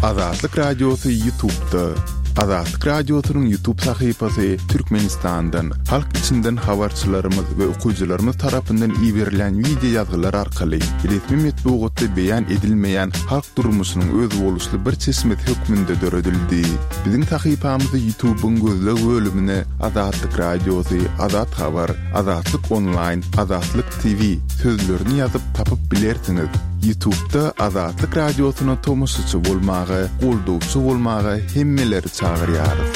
Azatlyk Radiosy Ýutubda. Azatlyk Radiosynyň Ýutub sahypasy Türkmenistandan, halk içinden habarçylarymyz we okyjylarymyz tarapyndan iberilýän wideo ýazgylar arkaly resmi metbugatda beýan edilmeýän halk durmuşynyň özboluşly bir çeşmesi hökmünde döredildi. Biziň sahypamyzy Ýutubyň gözleg bölümine Azatlyk Radiosy, Azat Habar, Azatlyk Onlaýn, Azatlyk TV sözlerini ýazyp tapyp bilersiňiz. Ýutubda Azatlyk Radiosyna tomaşaçy bolmaga, goldawçy bolmaga hemmeleri çagyrýarys.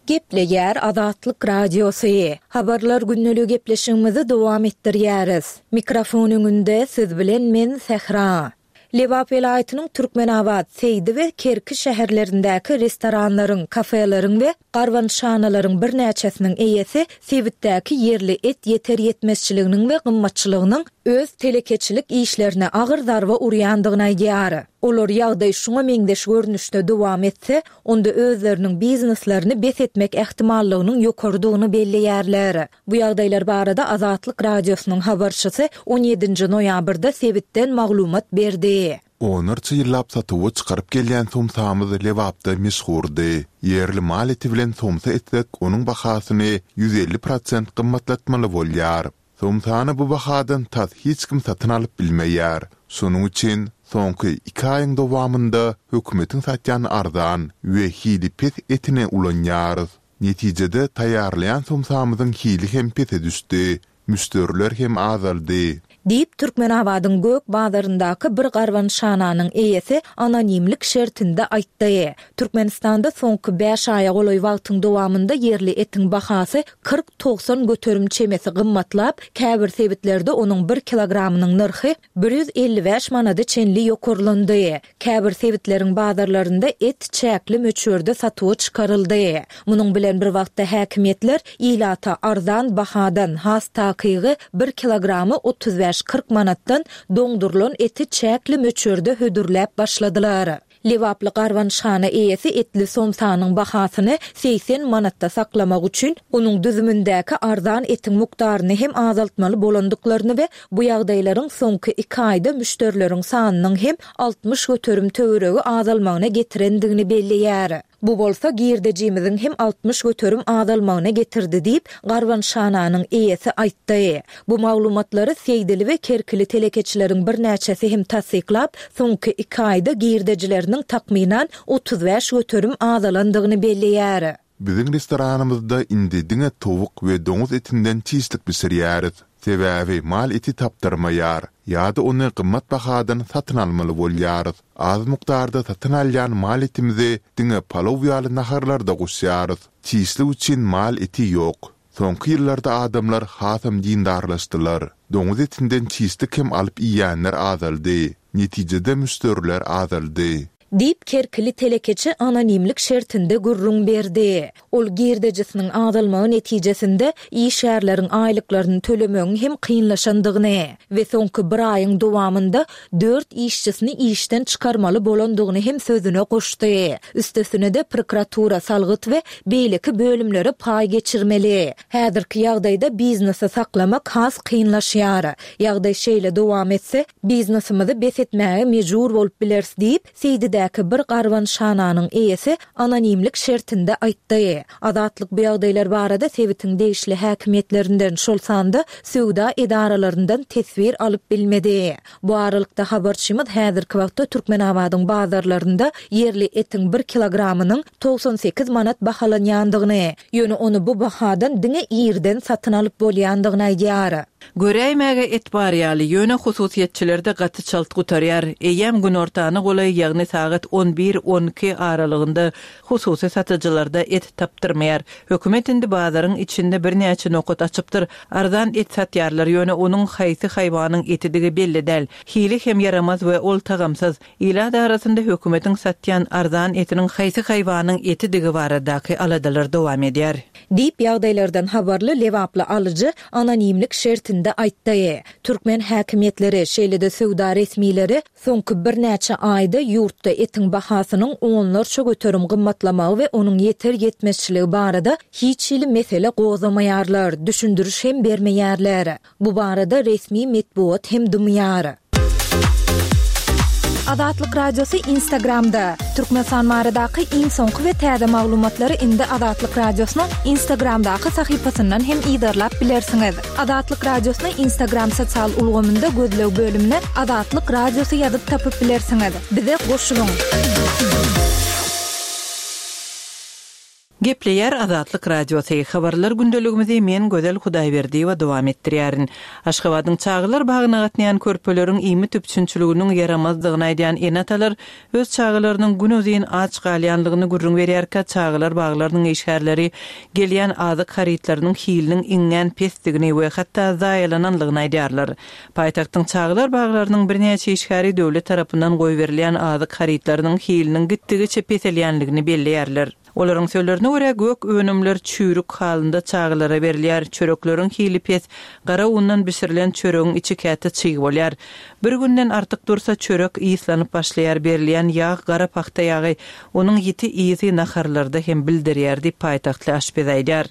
Gepleýär Azatlyk Radiosy. Habarlar gündeligi gepleşigimizi dowam etdirýäris. Mikrofon öňünde siz bilen men Sähra. Lebap welaýatynyň Türkmenabat, Seýdi we Kerki şäherlerindäki restoranlaryň, kafeleriň we garbanyşhanalaryň birnäçesiniň eýesi sebitdäki ýerli et ýeter-ýetmezçiliginiň we gymmatçylygynyň öz telekeçilik işlerine agyr zarba urýandygyny aýdýar. Olar ýagdaý şuňa meňzeş görnüşde dowam etse, onda özleriniň bizneslerini bes etmek ähtimallygynyň ýokarydygyny belleýärler. Bu ýagdaýlar barada Azatlyk Radiosynyň habarçysy on ýedinji noýabrda sebitden maglumat berdi. Onlarça ýyllap satuwa çykaryp gelýän somsamyz Lebapda meşhurdy. Ýerli mal eti bilen somsa etsek, onuň bahasyny 150 prosent gymmatlatmaly bolýar. Somsany bu bahadan tas hiç kim satyn alyp bilmeýär. Şonuň üçin soňky iki aýyň dowamynda hökümetiň satýan arzan we hili pes etini ulanýarys. Netijede, taýýarlaýan somsamyzyň hili hem pese düşdi, müşderiler hem azaldy. Diýip, Türkmenabadyň gök bazaryndaky bir garbanyşhananyň eýesi anonimlik şertinde aýtdy. Türkmenistanda soňky bäş aýa golaý wagtyň dowamynda ýerli etiň bahasy 40-90 göterim çemesi gymmatlap, käbir sebitlerde onuň bir kilogramynyň nyrhy 155 manada çenli ýokarlandy. Käbir sebitleriň bazarlarynda et çäkli möçberde satuwa çykaryldy. Munuň bilen bir wagtda häkimiýetler ilata arzan bahadan, has takygy, bir kilogramy 35-40 manatdan doňdurylan eti çäkli möçberde hödürläp başladylar. Lebaply garbanyşhana eýesi etli somsanyň bahasyny 80 manatda saklamak üçin onuň düzümindäki arzan etiň mukdaryny hem azaltmaly bolandyklaryny we Bu ýagdaýlaryň soňky iki aýda müşderileriň sanynyň hem 60% töweregi azalmagyna getirendigini belleýär. Bu bolsa girdejimiziň hem 60% azalmagyna getirdi diýip, garbanyşhananyň eýesi aýtdy. Bu maglumatlary seýdili we kerkili telekeçileriň birnäçesi hem tassyklap, soňky iki aýda girdejileriniň takmynan 35% azalandygyny belleýär. Biziň restoranymyzda indi diňe towuk we doňuz etinden çişlik bişirýäris. Sebäbi mal eti tapdyrmaýar ýa-da ony gymmat bahadan satyn almaly bolýarys. Az mukdarda satyn alýan mal etimizi diňe palaw ýaly naharlarda goşýarys. Çişlik üçin mal eti ýok. Soňky ýyllarda adamlar hasam dindarlaşdylar. Doňuz etinden çişlik hem alyp iýýänler azaldy. Netijede müşderiler azaldy. Diýip, kerkili telekeçi anonimlik şertinde gürrüň berdi. Ol girdejisiniň azalmagy netijesinde işgärleriň aýlyklaryny tölemegiň hem kynlaşandygyny we soňky bir aýyň dowamynda dört işçisini işden çykarmaly bolandygyny hem sözüne goşdy. Üstesine-de, prokuratura, salgyt we beýleki bölümlere paý geçirmeli. Häzirki ýagdaýda biznesi saklamak has kynlaşýar. Ýagdaý şeýle dowam etse, Biznesimizi bes etmäge mejbur bolup bileris diýip, Seýdidäki bir garbanyşhananyň eýesi anonimlik şertinde aýtdy. Azatlyk bu ýagdaýlar barada sebitiň degişli häkimiýetlerinden, şol sanda söwda edaralaryndan teswir alyp bilmedi. Bu aralykda, habarçymyz häzirki wagtda Türkmenabadyň bazarlarynda ýerli etiň bir kilogramynyň 98 manat bahalanýandygyny, ýöne ony bu bahadan diňe irden satyn alyp bolýandygyny aýdýar. Göräýmäge et bar ýaly, ýöne hususyýetçilerde gaty çalt gutarýar. Eýýäm günortana golaý, ýagny sagat on bir, on iki aralygynda hususy satyjylarda et tapdyrmaýar. Hökümet indi bazaryň içinde birnäçe nokat açypdyr. Arzan et satýarlar, ýöne onuň haýsy haýwanyň etidigi belli däl. Hili hem ýaramaz we ol tagamsyz. Ilat arasynda hökümetiň satýan arzan etiniň haýsy haýwanyň etidigi baradaky aladalar dowam edýär. Diýip, ýagdaýlardan habarly lebaply alyjy anonimlik şertinde aýtdy. Türkmen häkimiýetleri, şeýle-de söwda resmileri soňky birnäçe aýda ýurtda etiň bahasynyň onlarça göterim gymmatlamagy we onuň ýeter-ýetmezçiligi barada hiç hili mesele gozgamaýarlar, düşündiriş hem bermeýärler. Bu barada resmi metbugat hem dymýar. Azatlyk Radiosy Instagramda! Türkmenistan baradaky iň soňky we täze maglumatlary indi Azatlyk Radiosynyň Instagramdaky sahypasyndan hem yzarlap bilersiňiz. Azatlyk Radiosyny Instagram sosial ulgamynda gözleg bölümine Azatlyk Radiosy ýazyp tapyp bilersiňiz. Bize goşulyň! Gepleýär Azatlyk Radiosy, Habarlar gündeligimizi men Gözel Hudaýberdiýewa dowam etdirýärin. Aşgabadyň çagalar bagyna gatnaýan körpeleriň iýmit üpjünçiliginiň ýaramazdygyny aýdýan ene-atalar öz çagalarynyň günuzyn aç galýanlygyny gürrüň berýärkä çagalar baglarynyň işgärleri gelýän azyk harytlarynyň hiliniň iňňän pesdigini we hatda zaýalananlygyny aýdýarlar. Paýtagtyň çagalar baglarynyň birnäçe işgäri döwlet tarapyndan goýberilýän azyk harytlarynyň hiliniň gitdigiçe peselýänligini belleýärler. Olaryň sözlerine görä, gök önümler çüýrük halynda çagalara berilýär, çörekleriň hili pes, gara undan bişirilen çöregiň içi käte çyg bolýar. Bir günden artyk dursa, çörek yslanyp başlaýar, berilýän ýag gara pagta ýagy, onuň ýiti ysy naharlarda hem bildirýär diýip, paýtagtly aşpez aýdýar.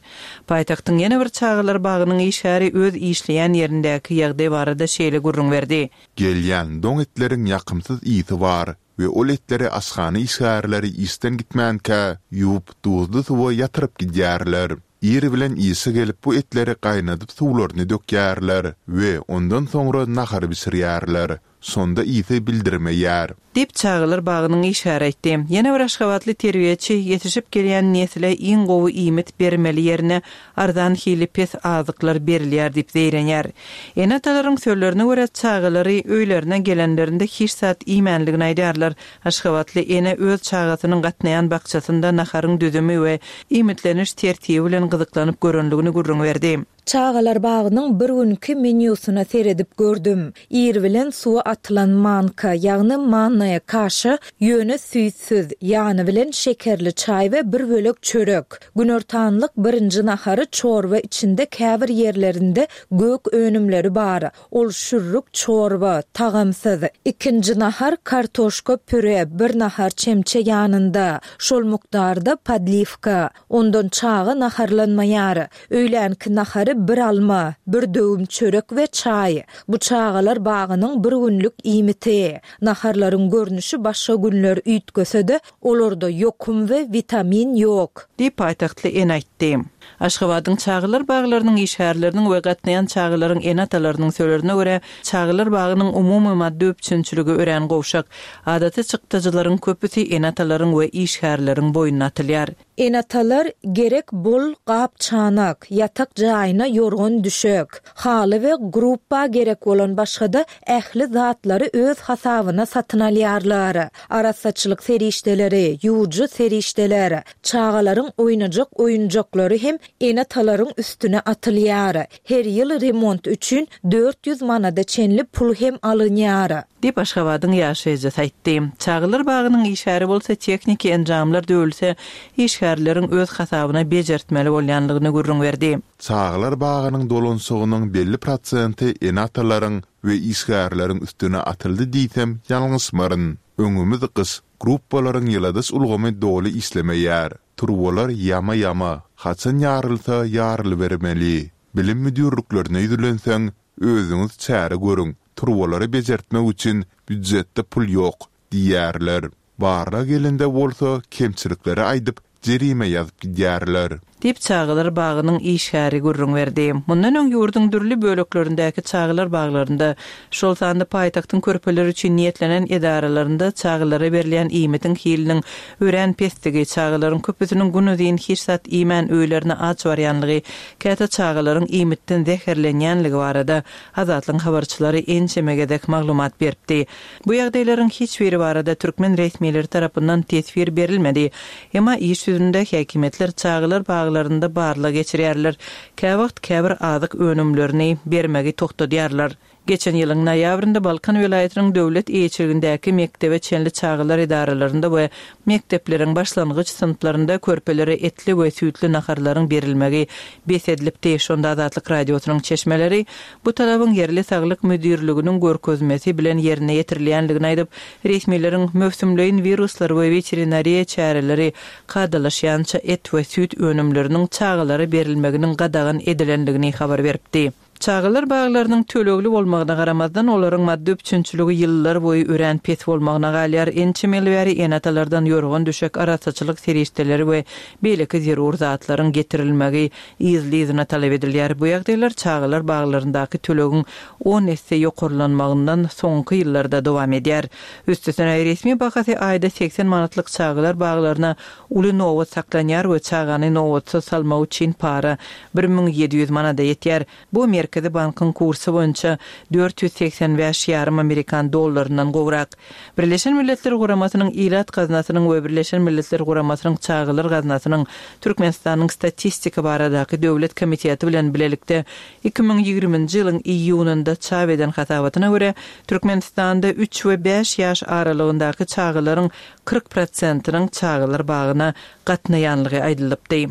Paýtagtyň ýene bir çagalar bagynyň işgäri öz işleýän ýerindäki ýagdaý barada şeýle gürrüň berdi. Gelýän doň etleriň ýakymsyz ysy bar. we ol etleri aşhana işgärleri işden gitmänkä ýuwup duzly suwa ýatyryp gidýärler. Ir bilen işe gelip bu etleri gaýnadyp suwlaryny dökýärler we ondan soňra nahar bişirýärler. Şonda ysy bildirmeýär. Diýip, çagalar bagynyň işgäri aýtdy. Ýene bir aşgabatly terbiýeçi ýetişip gelýän nesle iň gowy iýmit bermeli ýerine arzan hili pes azyklar berilýär diýip zeýrenýär. Ene-atalaryň sözlerine görä, çagalary öýlerine gelenlerinde hiç zat iýmänligini aýdýarlar. Aşgabatly ene öz çagasynyň gatnaýan bakjasynda naharyň düzümi we iýmitleniş tertibi bilen gyzyklanyp görenligini gürrüň berdi. Çagalar bagynyň bir günki menýusyna seredip gördüm. Ir bilen suwa atylan manka, ýagny mannaýa kaşa, ýöne süýtsüz, ýany bilen şekerli çaý we bir bölek çörek. Günortanlyk birinji nahary çorba içinde käbir ýerlerinde gök önümleri bar. Ol şürrük çorba, tagamsyz. Ikinji nahar kartoşka püre, bir nahar çemçe ýanynda, şol mukdarda podliwka. Ondan çaga naharlanmaýar. Öýlänki nahary bir alma, bir döwüm çörek we çaý. Bu çagalar bagynyň bir günlük iýmiti. Naharlaryň görnüşi başga günler üýtgese-de, olarda ýokum we witamin ýok. Diýip, paýtagtly ene aýtdy. Aşgabadyň çagalar baglarynyň işgärleriniň we gatnaýan çagalaryň ene-atalarynyň sözlerine görä, çagalar bagynyň umumy maddy üpjünçiligi örän gowşak. Adaty çykdajylaryň köpüsi ene-atalaryň we işgärleriň boýnuna atylýar. Ene-atalar gerek bol gap-çanak, ýatak jaýyna ýorgan-düşek, haly we grupba gerek bolan başga-da ähli zatlary öz hasabyna satyn alýarlar. Arassaçylyk serişdeleri, ýuwujy serişdeler, çagalaryň oýnajak oýunjaklary hem ene-atalaryň üstüne atylýar. Her ýyl remont üçin 400 manada çenli pul hem alynýar. Diýip, Aşgabadyň ýaşaýjysy aýtdy. Çagalar bagynyň işgäri bolsa tehniki enjamlar döwülse, işgärleriň öz hasabyna bejertmeli bolýanlygyny gürrüň berdi. Çagalar bagynyň dolanyşygynyň belli prosenti ene-atalaryň we işgärleriň üstüne atyldy diýsem ýalňyşmaryn. Öňümiz gyş, gruppalaryň ýyladyş ulgamy doly işlemeýär. Turbalar ýama-ýama, haçan ýarylsa ýarylybermeli. Bilim müdirliklerine ýüzlenseň, Özüňiz çäre görüň, turbalary bejertmek üçin býujetde pul ýok diýýärler. Barlag gelende bolsa, kemçilikleri aýdyp, jerime ýazyp gidýärler. Diýip, çagalar bagynyň işgäri gürrüň berdi. Mundan öň ýurduň dürli böleklerindäki çagalar baglarynda, şol sanda paýtagtyň körpeler üçin niýetlenen edaralarynda çagalara berilýän iýmitiň hiliniň örän pesdigi, çagalaryň köpüsiniň günuzyn hiç zat iýmän öýlerine aç barýanlygy, käte çagalaryň iýmitden zäherlenýänligi barada Azatlygyň habarçylary ençeme gezek maglumat beripdi. Bu ýagdaýlaryň hiç biri barada türkmen resmileri tarapyndan teswir berilmedi. Emma iş ýüzünde häkimiýetler çagalar baglarynda barlag geçirýärler, käwagt käbir azyk önümlerini bermegi togtadýarlar. Geçen ýylyň noýabrynda Balkan welaýatynyň döwlet eýeçiligindäki mekdebe çenli çagalar edaralarynda we mekdepleriň başlangyç synplarynda körpelere etli we süýtli naharlaryň berilmegi bes edilipdi. Şonda Azatlyk Radiosynyň çeşmeleri bu talabyň ýerli saglyk müdirliginiň görkezmesi bilen ýerine ýetirilýändigini aýdyp, resmileriň möwsümleýin wiruslar we weterinariýa çäreleri kadalaşýança et we süýt önümleriniň çagalara berilmeginiň gadagan edilendigini habar beripdi. Çagalar baglarynyň tölegli bolmagyna garamazdan, olaryň maddy üpjünçiligi ýyllar boýy örän pes bolmagyna galýar. Ençeme ýyl bäri ene-atalardan ýorgan-düşek, arassaçylyk serişdeleri we beýleki zerur zatlaryň getirilmegi yzly-yzyna talap edilýär. Bu ýagdaýlar çagalar baglaryndaky tölegiň on esse ýokarlanmagyndan soňky ýyllarda dowam edýär. Üstesine, resmi bahasy aýda 80 manatlyk çagalar baglaryna uly nobat saklanýar we çagany nobatsyz salmak üçin para 1700 manada ýetýär. Bu Merkezi bankyň kursy boýunça 485 ýarym amerikan dollaryndan gowrak. Birleşen Milletler Guramasynyň Ilat gaznasynyň we Birleşen Milletler Guramasynyň Çagalar gaznasynyň Türkmenistanyň Statistika baradaky döwlet komiteti bilen bilelikde 2020-nji ýylyň iýunynda çap eden hasabatyna görä, Türkmenistanda üç we bäş ýaş aralygyndaky çagalaryň 40 prosentiniň çagalar bagyna gatnaýanlygy aýdylypdy.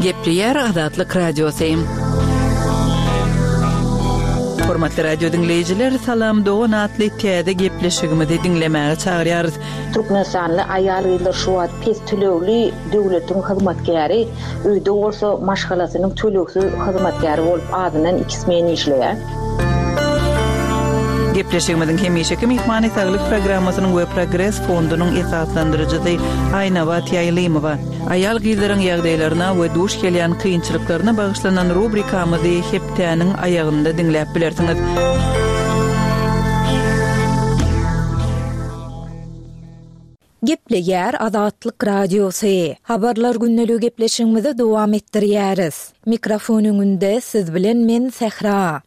Gepleýär Azatlyk Radiosy. Hormatly radio diňleýjiler, Salam dogan atly täze gepleşigimizi diňlemäge çagyrýarys. Türkmenistanly aýal-gyzlar şu wagt pes tölegli döwletiň hyzmatkäri, öýde bolsa maşgalasynyň tölegsiz hyzmatkäri bolup azyndan iki smen işleýär. Gepleşigimiziň hemişeki myhmany Saglyk programmasynyň we Progres fondunyň esaslandyryjysy Aýnabat Ýaýlymowa. Aýal-gyzlaryň ýagdaýlaryna we duş gelýän kynçylyklaryna bagyşlanan rubrikamyzy hepdäniň aýagynda diňläp bilersiňiz. Gepleýär Azatlyk Radiosy. Habarlar gündeligi gepleşigimizi dowam etdirýäris. Mikrofon öňünde siz bilen men Sähra.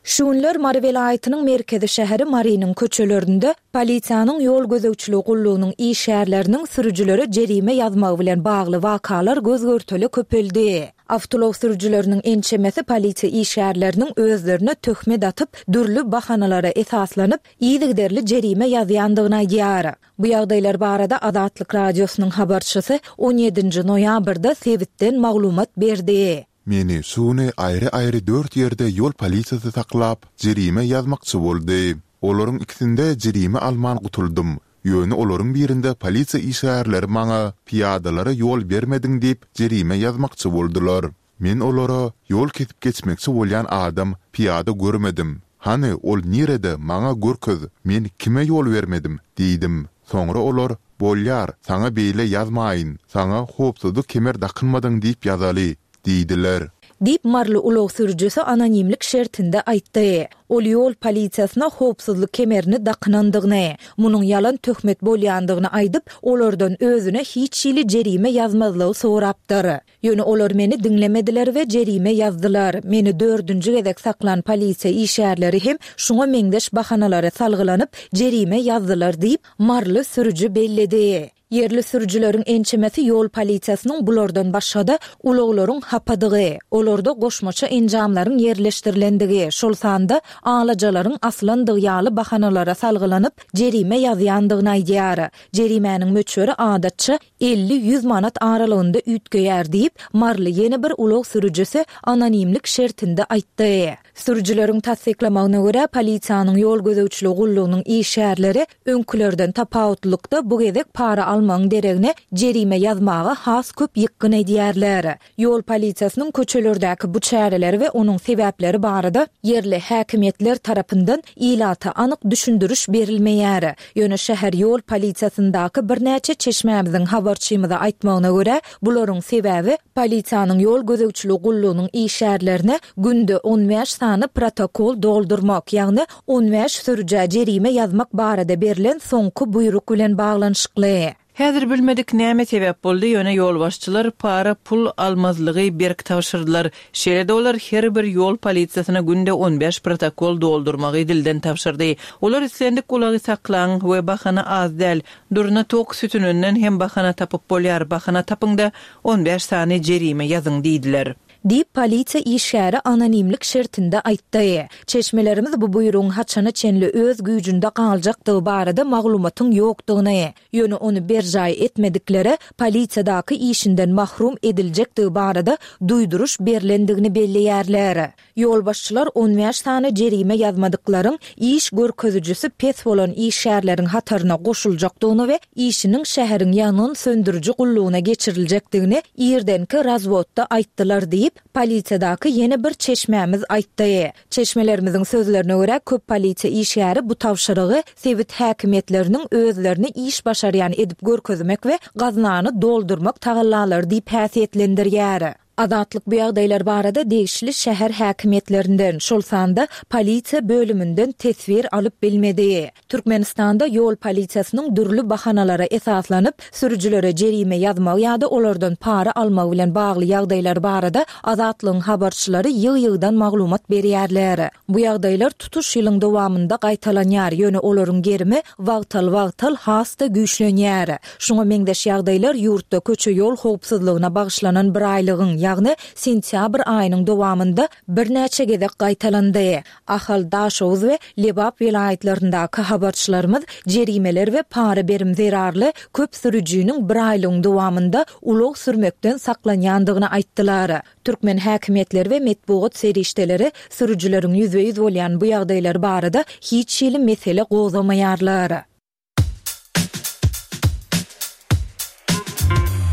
Şu günler Mary welaýatynyň merkezi şäheri Marynyň köçelerinde polisiýanyň ýol gözegçiligi gullugynyň işgärleriniň sürüjilere jerime ýazmagy bilen bagly wakalar göz-görtele köpeldi. Awtoulag sürüjileriniň ençemesi polisiýa işgärleriniň özlerine töhmet atyp, dürli bahanalara esaslanyp, yzygiderli jerime ýazýandygyny aýdýar. Bu ýagdaýlar barada Azatlyk Radiosynyň habarçysy on ýedinji noýabrda sebitden maglumat berdi. Meni şu güni aýry-aýry dört ýerde ýol polisiýasy saklap, jerime ýazmakçy boldy. Olaryň ikisinde jerime alman gutuldym. Ýöne olaryň birinde polisiýa işgärleri maňa pyýadalara ýol bermediň diýip, jerime ýazmakçy boldular. Men olara, Ýol kesip geçmekçi bolýan adam, pyýada görmedim. Hany, ol nirede, maňa görkez, men kime ýol bermedim? diýdim. Soňra olar, Bolýar, saňa beýle ýazmaýyn, saňa howpsuzlyk kemer dakynmadyň diýip ýazaly diýdiler. Diýip, maryly ulag sürüjisi anonimlik şertinde aýtdy. Ol ýol polisiýasyna howpsuzlyk kemerini dakynandygyny, munuň ýalan töhmet bolýandygyny aýdyp, olardan özüne hiç hili jerime ýazmazlygy sorapdyr. Ýöne olar meni diňlemediler we jerime ýazdylar. Meni dördünji gezek saklan polisiýa işgärleri hem şuňa meňzeş bahanalara salgylanyp, jerime ýazdylar diýip, maryly sürüji belledi. Ýerli sürüjileriň ençemesi ýol polisiýasynyň bulardan başga-da, ulaglaryň hapadygy, olarda goşmaça enjamlaryň ýerleşdirilendigi, şol sanda alajalaryň asylandygy ýaly bahanalara salgylanyp, jerime ýazýandygyny aýdýar. Jerimäniň möçberi adatça 50-ýüz manat aralygynda üýtgeýär diýip, maryly ýene bir ulag sürüjisi anonimlik şertinde aýtdy. Sürüjileriň tassyklamagyna görä, polisiýanyň ýol gözegçiligi gullugynyň işgärleri öňkülerden tapawutlylykda bu gezek para almagyň deregine jerime ýazmaga has köp ýykgyn edýärler. Ýol polisiýasynyň köçelerdäki bu çäreleri we onuň sebäpleri barada ýerli häkimiýetler tarapyndan ilata anyk düşündiriş berilmeýär. Ýöne şäher ýol polisiýasyndaky birnäçe çeşmämiziň habarçymyza aýtmagyna görä, bularyň sebäbi polisiýanyň ýol gözegçiligi gullugynyň işgärlerine günde 15 sany protokol doldurmak, ýagny 15 sürüjä jerime ýazmak barada berlen soňky buýruk bilen baglanyşykly. Häzir bilmedik näme sebäp boldy, ýöne ýolbaşçylar para pul almazlygy berk tabşyrdylar. Şeýle-de olar her bir ýol polisiýasyna günde 15 protokol doldurmagy dilden tabşyrdy. Olar islendik ulagy saklaň we bahana az däl, durna tok sütüninden hem bahana tapyp bolýar, bahana tapyň-da, 15 sany jerime ýazyň diýdiler. Diýip, polisiýa işgäri anonimlik şertinde aýtdy. Çeşmelerimiz bu buýrugyň haçana çenli öz güýjünde galjakdygy barada maglumatyň ýokdugyny, ýöne ony berjaý etmediklere polisiýadaky işinden mahrum ediljekdigi barada duýduryş berlendigini belleýärler. Ýolbaşçylar on bäş sany jerime ýazmadyklaryň iş görkezijisi pes bolan işgärleriň hataryna goşuljakdygyny we işiniň şäheriň ýangyn söndüriji gullugyna geçiriljekdigini irdenki razwodda aýtdylar diýip, polisiýadaky ýene bir çeşmämiz aýtdy. Çeşmelerimiziň sözlerine görä, köp polisiýa işgäri bu tabşyrygy sebit häkimiýetleriniň özlerini iş başarýan edip görkezmek we gaznany doldurmak tagallalary diýip häsiýetlendirýär. Azatlyk bu ýagdaýlar barada degişli şäher häkimiýetlerinden, şol sanda polisiýa bölüminden teswir alyp bilmedi. Türkmenistanda ýol polisiýasynyň dürli bahanalara esaslanyp, sürüjilere jerime ýazmagy ýa-da olardan para almagy bilen bagly ýagdaýlar barada Azatlygyň habarçylary ýygy-ýygydan maglumat berýärler. Bu ýagdaýlar tutuş ýylyň dowamynda gaýtalanýar, ýöne olaryň gerimi wagtal-wagtal has-da güýçlenýär. Şuňa meňzeş ýagdaýlar ýurtda köçe-ýol howpsuzlygyna bagyşlanan biraýlygyň, ýagny sentýabr aýynyň dowamynda birnäçe gezek gaýtalandy. Ahal, Daşoguz we Lebap welaýatlaryndaky habarçylarymyz jerimeler we para-berim zerarly köp sürüjiniň biraýlygyň dowamynda ulag sürmekden saklanýandygyny aýtdylar. Türkmen häkimiýetleri we metbugat serişdeleri sürüjileriň ýüzbe-ýüz bolýan bu ýagdaýlary barada hiç hili mesele gozgamaýarlar.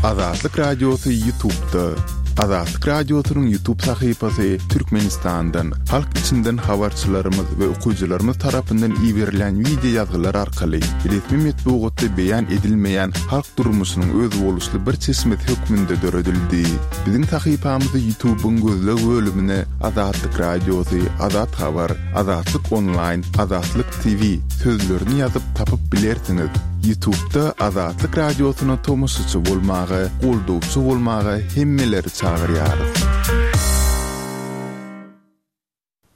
Azatlyk Radiosy Ýutubda. Azatlyk Radiosynyň Ýutub sahypasy Türkmenistandan, halk içinden habarçylarymyz we okyjylarymyz tarapyndan iberilýän wideo ýazgylar arkaly resmi metbugatda beýan edilmeýän halk durmuşynyň özboluşly bir çeşmesi hökmünde döredildi. Biziň sahypamyzy Ýutubyň gözleg bölümine Azatlyk Radiosy, Azat Habar, Azatlyk Onlaýn, Azatlyk TV sözlerini ýazyp tapyp bilersiňiz. Ýutubda Azatlyk Radiosyna tomaşaçy bolmaga, goldawçy bolmaga hemmeleri çagyrýarys.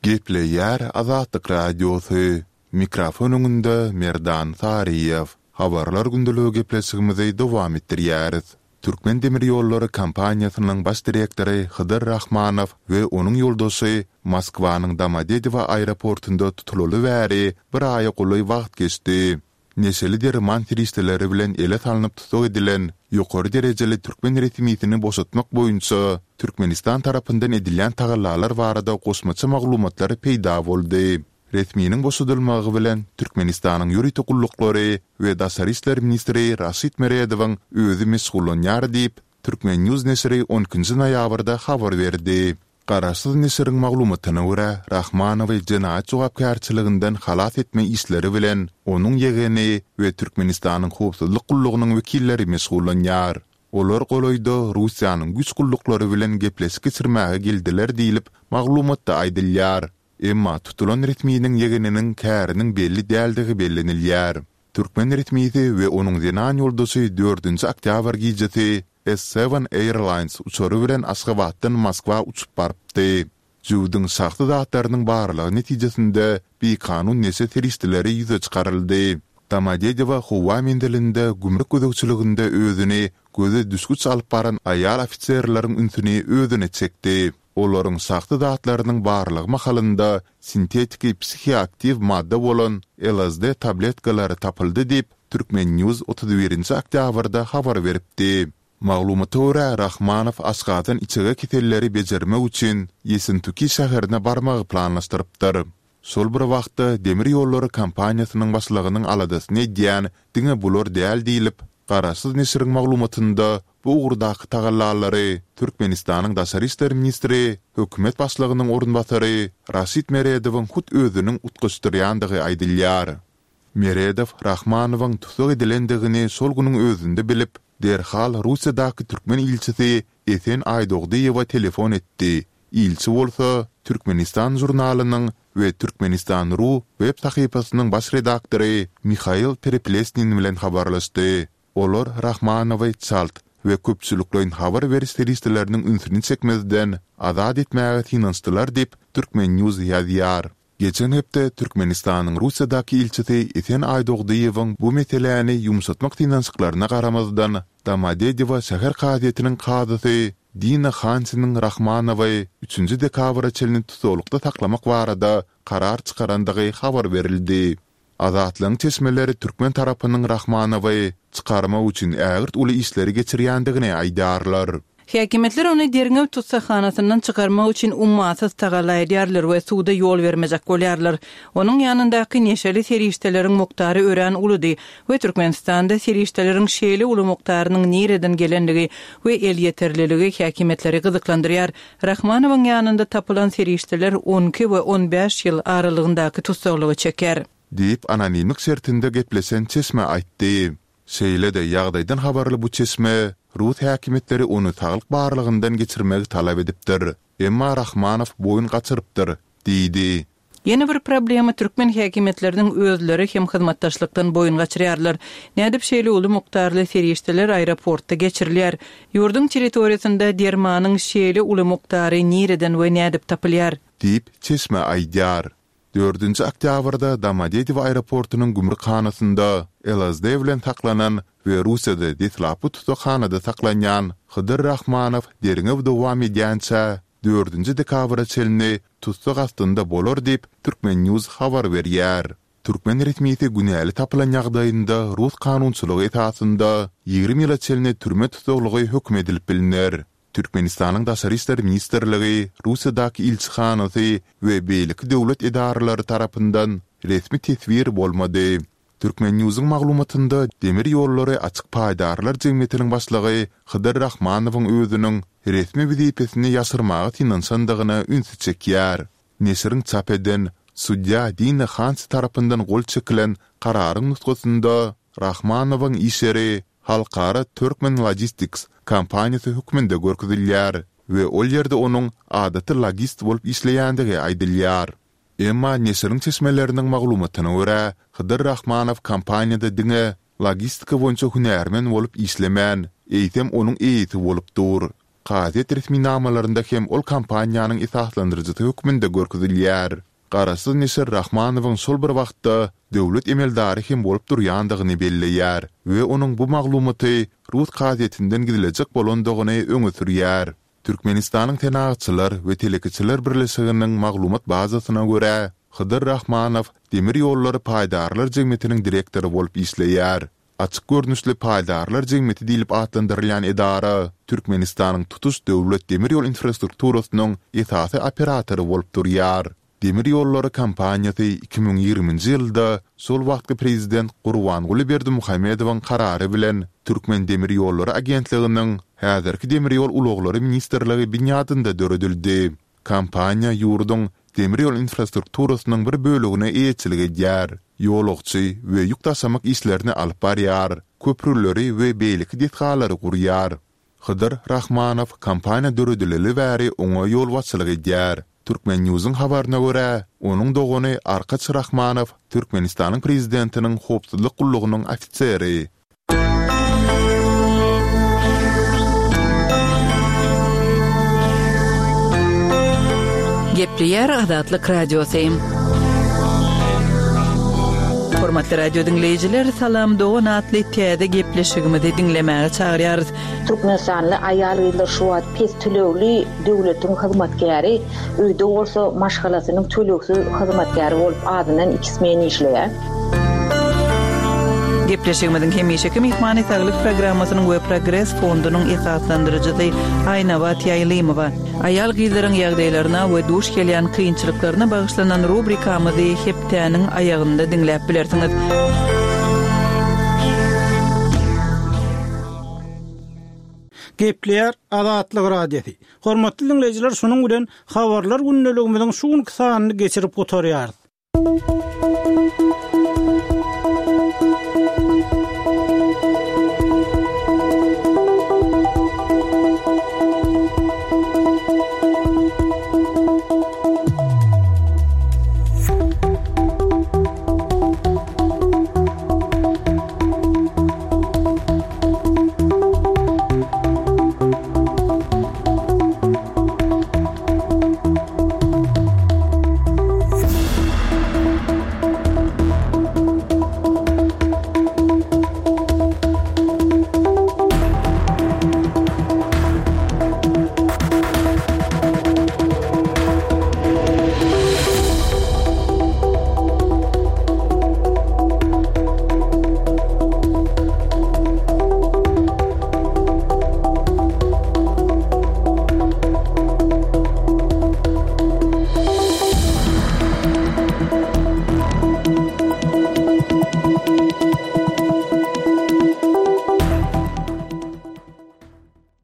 Gepleýär Azatlyk Radiosy. Mikrofon öňünde Merdan Saryýew. Habarlar gündeligi gepleşigimizi dowam etdirýäris. Türkmen demir ýollary kompaniýasynyň baş direktory Hydyr Rahmanow we onuň ýoldaşy Moskwanyň Domodedowo aeroportynda tutulaly bäri bir aýa golaý wagt geçdi. Neşeli derman serişdeleri bilen ele salnyp tussag edilen ýokary derejeli türkmen resmisini boşatmak boýunça Türkmenistan tarapyndan edilýän tagallalar barada goşmaça maglumatlar peýda boldy. Resminiň boşadylmagy bilen Türkmenistanyň ýörite gulluklary we daşary işler ministri Raşid Meredowyň özi meşgullanýar diýip, Turkmen. News neşiri on ikinji noýabrda habar berdi. Garaşsyz neşiriň maglumatyna görä, Rahmanowy jenaýat jogapkärçiliginden halas etme işleri bilen onuň ýegeni we Türkmenistanyň howpsuzlyk gullugynyň wekilleri meşgullanýar. Olar golaýda Russiýanyň güýç gulluklary bilen gepleşik geçirmäge geldiler diýlip, maglumatda aýdylýar. Emma tutulan resminiň ýegeniniň käriniň belli däldigi bellenilýär. Türkmen resmisi we onuň zenan ýoldaşy dördünji oktýabr gijesi S-Seven Airlines uçary bilen Aşgabatdan Moskwa uçup barypdy. Jübüdiň şahsy zatlarynyň barlagy netijesinde bikanun neşe serişdeleri ýüze çykaryldy. Domodedowo howa menzilinde gümrük gözegçiliginde özüni göze düşgüç alyp baran aýal ofiserleriň ünsüni özüne çekdi. Olaryň şahsy zatlarynyň barlagy mahalynda sintetiki psihoaktiw madda bolan LSD tabletkalary tapyldy diýip, Turkmen. News 31 nji oktýabrda habar beripdi. Maglumata görä, Rahmanow aşgazan-içege keselleri bejermek üçin Ýessentuki şäherine barmagy planlaşdyrypdyr. Şol bir wagtda, demir ýollary kompaniýasynyň başlygynyň aladasyny edýän diňe bular däl diýlip, garaşsyz neşiriň maglumatynda bu ugurdaky tagallalary Türkmenistanyň daşary işler ministri, hökümet başlygynyň orunbasary Raşid Meredowyň hut özüniň utgaşdyrýandygy aýdylýar. Meredow Rahmanowyň tussag edilendigini şol günüň özünde bilip, derhal Russiýadaky türkmen ilçisi Esen Aýdogdyýewe telefon etdi Ilçi bolsa Türkmenistan žurnalynyň we Türkmenistan. Ru web sahypasynyň baş redaktory Mihail Pereplesnin bilen habarlaşdy. Olar Rahmanowy çalt we köpçülikleýin habar beriş serişdeleriniň ünsüni çekmezden azat etmäge synanyşdylar diýip, Turkmen. News ýazýar. Geçen hepde Türkmenistanyň Russiýadaky ilçisi Esen Aýdogdyýewiň bu meseläni ýumşatmak synanyşyklaryna garamazdan, Domodedowo şäher kazyýetiniň kazysy. Dina Hansiniň Rahmanowy üçünji dekabra çenli tussaglykda saklamak barada karar çykarandygy habar berildi. Azatlygyň çeşmeleri türkmen tarapynyň Rahmanowy çykarmak üçin ägirt uly işleri geçirýändigini aýdýarlar. Häkimiýetler ony derňew tussaghanasyndan çykarmak üçin ummasyz tagalla edýärler we suda ýol bermejek bolýarlar. Onuň ýanyndaky neşeli serişdeleriň mukdary örän uludy we Türkmenistanda serişdeleriň şeýle uly mukdarynyň nireden gelendigi we elýeterliligi häkimiýetleri gyzyklandyrýar. Rahmanowyň ýanynda tapylan serişdeler on iki we on bäş ýyl aralygyndaky tussaglygy çeker. Diýip, anonimlik şertinde gepleşen çeşme aýtdy. Şeýle-de, ýagdaýdan habarly bu çeşme, rus häkimiýetleri ony saglyk barlagyndan geçirmegi talap edipdir, emma Rahmanow boýun gaçyrypdyr diýdi. Ýene bir problema türkmen häkimiýetleriniň özleri hem hyzmatdaşlykdan boýun gaçyrýarlar. Nädip şeýle uly mukdarly serişdeler aeroportda geçirilýär? Ýurduň territoriýasynda dermanyň şeýle uly mukdary nireden we nädip tapylýar? Diýip, çeşme aýdýar. Dördünji oktýabrda Domodedowo aeroportunyň gümrükhanasynda LSD bilen saklanan we Russiýada deslapky tussaghanada saklanýan Hydyr Rahmanow derňew dowam edýänçä, dördünji dekabra çenli tussag astynda bolar diýip, Turkmen. News habar berýär. Türkmen resmisi günäli tapylan ýagdaýynda rus kanunçylygy esasynda 20 ýyla çenli türme tussaglygy höküm edilip bilner. Türkmenistanyň Daşary işler ministrligi, Russiýadaky ilçihanasy we beýleki döwlet edaralary tarapyndan resmi teswir bolmady. Turkmennewsiň maglumatynda Demir ýollary açyk paýdarlar jemgyýetiniň başlygy Hydyr Rahmanowyň özüniň resmi wezipesini ýaşyrmaga synanyşandygyna ünsi çekýär. Neşiriň çap eden, sudýa Dina Hansi tarapyndan gol çekilen kararyň nusgasynda Rahmanowyň iş ýeri Halkara Turkmen Logistics kompaniýasy hökmünde görkezilýär we ol ýerde onuň adaty logist bolup işleýändigi aýdylýar. Emma neşiriň çeşmeleriniň maglumatyna görä, Hydyr Rahmanow kompaniýada diňe logistika boýunça hünärmen bolup işlemän, eýsem onuň eýesi bolup dur. Kazyýet resminamalarynda hem ol kompaniýanyň esaslandyryjysy hökmünde görkezilýär. Garaşsyz neşir Rahmanowyň şol bir wagtda döwlet emeldary hem bolup durýandygyny belleýär we onuň bu maglumaty rus kazyýetinden gizlejek bolandygyny öňe sürýär. Türkmenistanyň Senagatçylar we telekeçiler birleşiginiň maglumat bazasyna görä, Hydyr Rahmanow Demir ýollary paýdarlar jemgyýetiniň direktory bolup işleýär. Açyk görnüşli paýdarlar jemgyýeti diýlip atlandyrylýan edara Türkmenistanyň tutuş döwlet demir ýol infrastrukturasynyň esasy operatory bolup durýar. Demir ýollary kompaniýasy 2020-nji ýylda şol wagtky prezident Gurbanguly Berdimuhamedowyň karary bilen Türkmendemirýollary agentliginiň, häzirki Demir ýol ulaglary ministrligi binýadynda döredildi. Kompaniýa ýurduň demir ýol infrastrukturasynyň bir bölegine eýeçilik edýär, ýolagçy we ýük daşamak işlerini alyp barýar, köprüleri we beýleki desgalary gurýar. Hydyr Rahmanow kompaniýa döredileli bäri oňa ýolbaşçylyk edýär. Turkmennewsiň habaryna görä, onuň dogany Arkaç Rahmanow Türkmenistanyň Prezidentiniň howpsuzlyk gullugynyň ofiseri. Gepleýär Azatlyk Radiosy. Hormatly radio diňleýjiler, Salam dogan atly täze gepleşigimizi diňlemäge çagyrýarys. Türkmenistanly aýal-gyzlar şu wagt pes tölegli döwletiň hyzmatkäri, öýde bolsa maşgalasynyň tölegsiz hyzmatkäri bolup azyndan iki smen işleýär. Gepleşigimiziň hemişeki myhmany Saglyk programmasynyň we Progres fondunyň esaslandyryjysy Aýnabat Ýaýlymowa. Aýal-gyzlaryň ýagdaýlaryna we duş gelýän kynçylyklaryna bagyşlanan rubrikamyzy hepdäniň aýagynda diňläp bilersiňiz. Gepleýär Azatlyk Radiosy. Hormatly diňleýjiler şunuň bilen Habarlar gündeligimiziň şu günki sanyny geçirip gutarýarys.